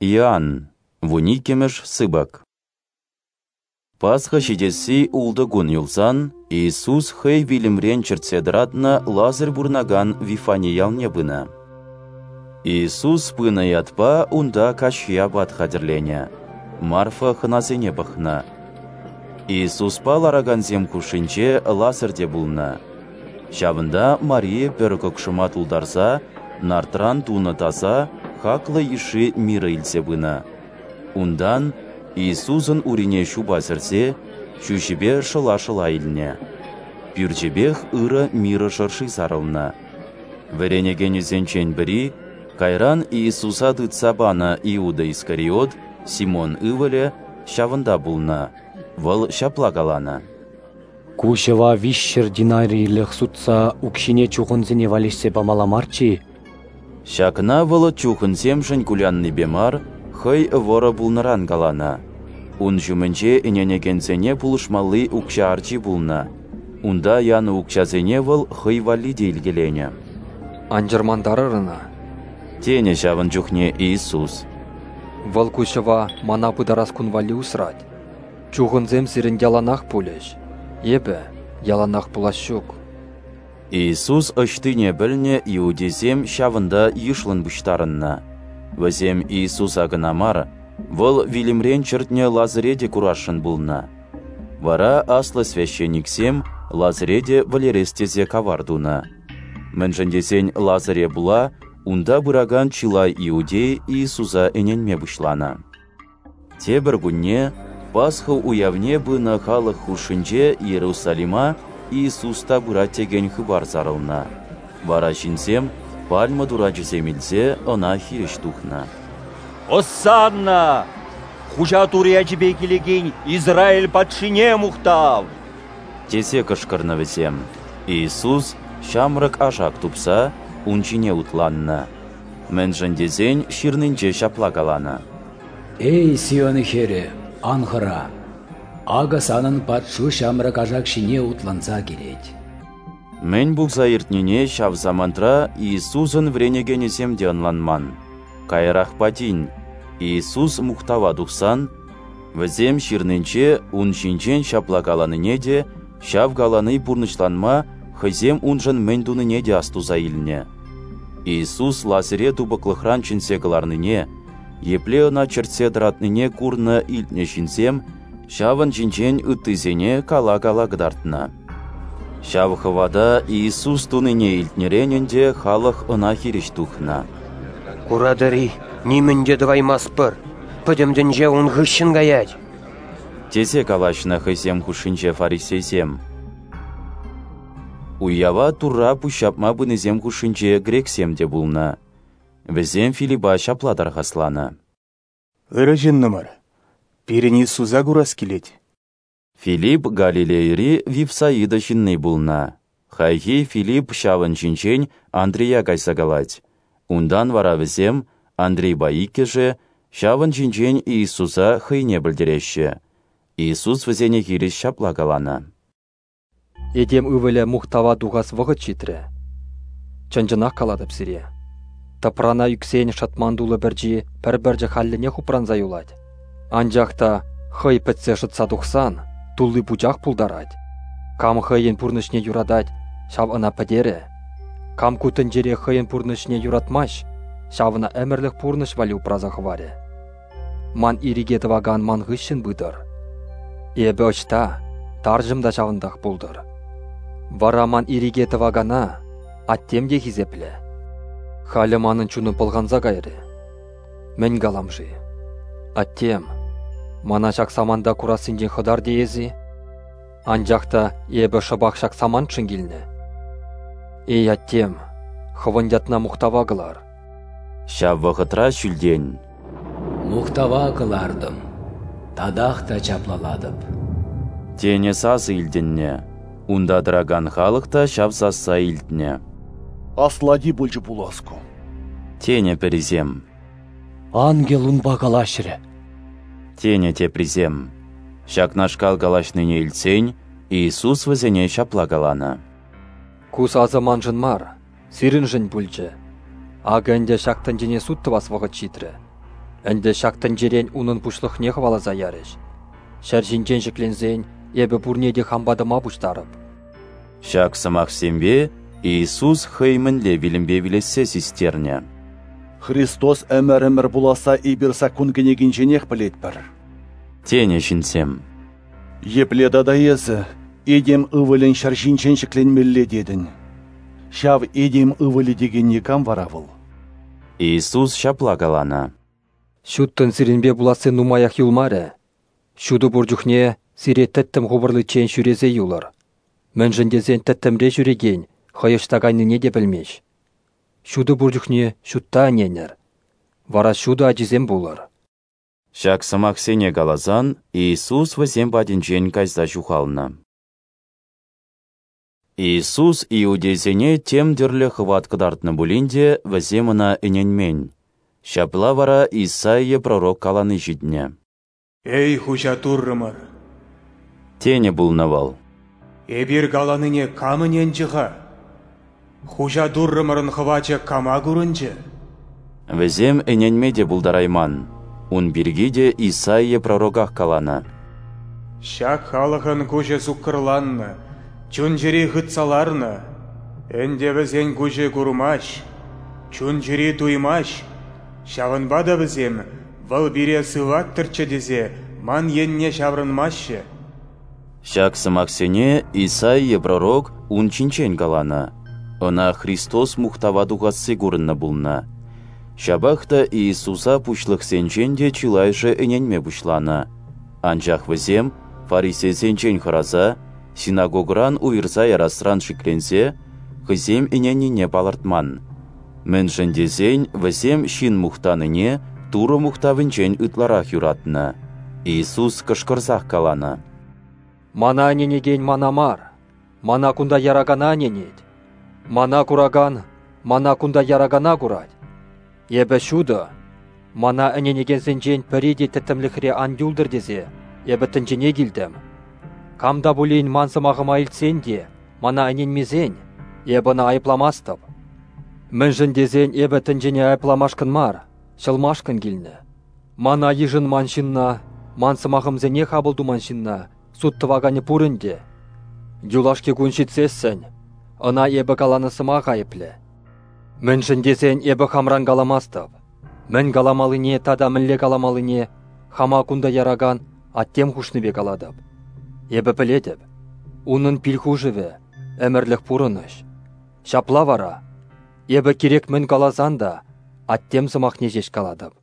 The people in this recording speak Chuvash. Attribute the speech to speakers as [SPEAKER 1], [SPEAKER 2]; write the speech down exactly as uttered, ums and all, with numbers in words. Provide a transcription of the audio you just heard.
[SPEAKER 1] Иоанн, вуниккӗмӗш сыпӑк. Пасха ҫитесси ултӑ кун юлсан, Иисус хӑй вилӗмрен чӗртсе тӑратнӑ Лазарь пурӑнакан Вифани ялне пынӑ. Иисус пынӑ ятпа унта каҫхи апат хатӗрленӗ. Марфа хӑнасене пӑхнӑ. Иисуспа ларакансем хушшинче Лазарь те пулнӑ. Ҫавӑнта Мария пӗр кӑкшӑма тултарса нардран тунӑ таса, хаклӑ йышши мирӑ илсе пынӑ. Унтан Иисусӑн урине ҫупа сӗрсе, ҫӳҫӗпе шӑла-шӑла илнӗ. Пӳрчӗпех ырӑ мирӑ шӑрши сарӑлнӑ. Вӗренекенӗсенчен пӗри, кайран Иисуса тытса панӑ Иуда Искариот, Симон ывӑлӗ, ҫавӑнта пулнӑ. Вӑл ҫапла каланӑ:
[SPEAKER 2] «Ку ҫӑва виҫҫӗр динарийлӗх сутса укҫине чухӑнсене валеҫсе памалла марччӗ-и?»
[SPEAKER 1] Ҫакна вӑл чухӑнсемшӗн куляннипе мар, хӑй вӑрӑ пулнӑран каланӑ. Ун ҫумӗнче ӗненекенсене пулӑшмалли укҫа арчи пулнӑ. Унта янӑ укҫасене вӑл хӑй валли те илкеленӗ.
[SPEAKER 3] «Ан чӑрмантарӑр ӑна»,
[SPEAKER 1] тенӗ ҫавӑн чухне Иисус.
[SPEAKER 3] «Вӑл ку ҫӑва мана пытарас кун валли усрать. Чухӑнсем сирӗн яланах пулӗҫ, эпӗ яланах пулас ҫук».
[SPEAKER 1] Иисус ӑҫтине пӗлнӗ иудейсем ҫавӑнта йышлӑн пуҫтарӑннӑ. Вӗсем Иисуса кӑна мар, вӑл вилӗмрен чӗртнӗ Лазаре те курасшӑн пулнӑ. Вара аслӑ священниксем Лазаре те вӗлерес тесе кавар тунӑ. Мӗншӗн тесен Лазаре пула унта пыракан чылай иудей Иисуса ӗненме пуҫланӑ. Тепӗр кунне Пасха уявне пынӑ халӑх хушшинче Иерусалима Иисус та пырать текен хыпар сарӑлнӑ. Вара ҫынсем пальма турачӗсем илсе ӑна хирӗҫ тухнӑ.
[SPEAKER 4] «Осанна! Хуҫа Турӑ ячӗпе килекен Израиль патшине мухтав!»
[SPEAKER 1] тесе кӑшкӑрнӑ вӗсем. Иисус ҫамрӑк ашак тупса ун ҫине утланнӑ. Мӗншӗн тесен ҫырнинче ҫапла каланӑ:
[SPEAKER 5] «Эй, Сион хӗрӗ, ан хӑра! Акӑ санӑн патшу ҫамрӑк ашак ҫине утланса килет».
[SPEAKER 1] Мӗн пулса иртнине ҫав самантра Иисусӑн вӗренекенӗсем те ӑнланман. Каярахпа тин, Иисус мухтава тухсан, вӗсем ҫырнинче ун ҫинчен ҫапла каланине те, ҫав калани пурнӑҫланма хӑйсем уншӑн мӗн тунине те астуса илнӗ. Иисус Лазаре тупӑклӑхран чӗнсе кӑларнине, епле ӑна чӗртсе тӑратнине курнӑ илтнӗ ҫынсем ҫавӑн ҫинчен ыттисене кала-кала кӑтартнӑ. Ҫав хӑвата Иисус тунине илтнӗрен ӗнтӗ халӑх ӑна хирӗҫ тухнӑ.
[SPEAKER 6] «Куратӑр-и, нимӗн те тӑваймастпӑр, пӗтӗм тӗнче ун хыҫҫӑн каять»,
[SPEAKER 1] тесе калаҫнӑ хӑйсем хушшинче фарисейсем. Уява Турра пуҫҫапма пынисем хушшинче грексем те пулнӑ. Вӗсем Филиппа ҫапла тархасланӑ:
[SPEAKER 7] «Ырӑ ҫыннӑмӑр, пирӗн Иисуса курас килет».
[SPEAKER 1] Филипп Галилейӑри Вифсаида ҫынни пулнӑ. Хайхи Филипп ҫавӑн ҫинчен Андрея кайса калать. Унтан вара вӗсем, Андрейпа иккӗшӗ, ҫавӑн ҫинчен Иисуса хӑйне пӗлтереҫҫӗ. Иисус вӗсене хирӗҫ ҫапла каланӑ:
[SPEAKER 3] «Этем ывӑлӗ мухтава тухас вӑхӑт ҫитрӗ. Чӑн-чӑнах калатӑп сире, тӑпрана ӳксен шӑтман тулӑ пӗрчи пӗр пӗрчӗ хальлӗнех упранса юлать. Анчах та хӑй пӗтсе шӑтса тухсан тулли пучах пултарать. Кам хӑйӗн пурнӑҫне юратать, ҫав ӑна пӗтерӗ. Кам ку тӗнчере хӑйӗн пурнӑҫне юратмасть, ҫав ӑна ӗмӗрлӗх пурнӑҫ валли упраса хӑварӗ. Ман ирӗке тӑвакан ман хыҫҫӑн пытӑр. Эпӗ ӑҫта, тарҫӑм та ҫавӑнтах пултӑр. Вара ман ирӗке тӑвакана аттем те хисеплӗ. Халӗ манӑн чунӑм пӑлханса кайрӗ. Мӗн калам-ши? Аттем, мана ҫак саманта курассинчен хӑтар теес-и? Анчах та эпӗ шӑпах ҫак самантшӑн килнӗ. Эй, аттем, хӑвӑн ятна мухтава кӑлар».
[SPEAKER 1] Ҫав вӑхӑтра ҫӳлтен:
[SPEAKER 5] «Мухтава кӑлартӑм, татах та чаплалатӑп»,
[SPEAKER 1] тенӗ сасӑ илтӗннӗ. Унта тӑракан халӑх та ҫав сасса илтнӗ.
[SPEAKER 8] «Аслати пулчӗ пулас ку»,
[SPEAKER 1] тенӗ пӗрисем.
[SPEAKER 2] «Ангел унпа калаҫрӗ»,
[SPEAKER 1] тенӗ теприсем. Ҫакнашкал калаҫнине илтсен Иисус вӗсене ҫапла каланӑ:
[SPEAKER 3] «Ку сасӑ маншӑн мар, сирӗншӗн пулчӗ. Акӑ ӗнтӗ ҫак тӗнчене суд тӑвас вӑхӑт ҫитрӗ. Ӗнтӗ ҫак тӗнчерен унӑн пуҫлӑхне хӑваласа ярӗҫ. Ҫӗр ҫинчен ҫӗкленсен эпӗ пурне те хам патӑма пуҫтарӑп.
[SPEAKER 1] Ҫак сӑмахсемпе Иисус хӑй мӗнле вилӗмпе вилессе систернӗ.
[SPEAKER 8] Христос ӗмӗр-ӗмӗр пуласса эпир саккун кӗнекинченех пӗлетпӗр.
[SPEAKER 1] Тенӗ ҫынсем.
[SPEAKER 8] Епле тата эсӗ этем ывӑлӗн ҫӗр ҫинчен ҫӗкленмелле тетӗн? Ҫав этем ывӑлӗ текенни кам вара вӑл?
[SPEAKER 1] Иисус ҫапла каланӑ:
[SPEAKER 3] Ҫуттӑн сирӗнпе пуласси нумаях юлмарӗ. Ҫутӑ пур чухне сире тӗттӗм хупӑрличчен ҫӳресе юлӑр. Мӗншӗн тесен тӗттӗмре ҫӳрекен хӑй ӑҫта кайнине те пӗлмест. Ҫутӑ пур чухне ҫутта ӗненӗр, вара ҫутӑ ачисем пулӑр.
[SPEAKER 1] Ҫак сӑмахсене каласан Иисус вӗсем патӗнчен кайса ҫухалнӑ. Иисус иудейсене тем тӗрлӗ хӑват кӑтартнӑ пулин те вӗсем ӑна ӗненмен. Ҫапла вара Исаия пророк калани ҫитнӗ.
[SPEAKER 7] Эй, Хуҫа Туррӑмӑр!
[SPEAKER 1] Тенӗ пулнӑ вӑл.
[SPEAKER 7] Эпир каланине кам ӗненчӗ-ха? Хуҫа Туррӑмӑрӑн хӑвачӗ кама курӑнчӗ?
[SPEAKER 1] Вӗсем ӗненме те пултарайман. Ун пирки те Исаия пророках каланӑ.
[SPEAKER 7] Ҫак халӑхӑн куҫӗ суккӑрланнӑ, чун-чӗри хытса ларнӑ. Ӗнтӗ вӗсен куҫӗ курмасть, чун-чӗри туймасть. Ҫавӑнпа та вӗсем вӑл пире сываттӑрччӗ тесе ман енне ҫаврӑнмаҫҫӗ.
[SPEAKER 1] Ҫак сӑмахсене Исаия пророк ун ҫинчен каланӑ. Ӑна Христос мухтава тухасси курӑннӑ пулнӑ. Ҫапах та Иисуса пуҫлӑхсенчен те чылайӑшӗ ӗненме пуҫланӑ. Анчах вӗсем фарисейсенчен хӑраса, синагогӑран уйӑрса ярасран шикленсе, хӑйсем ӗненнине палӑртман. Мӗншӗн тесен вӗсем ҫын мухтанине Турӑ мухтавӗнчен ытларах юратнӑ. Иисус кӑшкӑрсах каланӑ:
[SPEAKER 3] Мана ӗненекен мана мар, мана кунта яракана ӗненет. Мана куракан мана кунта яракана курать. Эпӗ ҫутӑ, мана ӗненекенсенчен пӗри те тӗттӗмлӗхре ан юлтӑр тесе эпӗ тӗнчене килтӗм. Кам та пулин ман сӑмахӑма илтсен те мана ӗненмесен, эпӗ ӑна айӑпламастӑп. Мӗншӗн тесен эпӗ тӗнчене айӑпламашкӑн мар, ҫӑлмашкӑн килнӗ. Мана йышӑнман ҫынна, ман сӑмахӑмсене хапӑл туман ҫынна суд тӑваканӗ пур ӗнтӗ. Юлашки кун ҫитсессӗн, ӑна эпӗ каланӑ сӑмах айӑплӗ. Мӗншӗн тесен эпӗ хамран каламастӑп. Мӗн каламаллине тата мӗнле каламаллине хама кунта яракан аттем хушнипе калатӑп. Эпӗ пӗлетӗп, унӑн пил хушӑвӗ ӗмӗрлӗх пурӑнӑҫ. Ҫапла вара, эпӗ кирек мӗн каласан та аттем сӑмахне ҫеҫ калатӑп.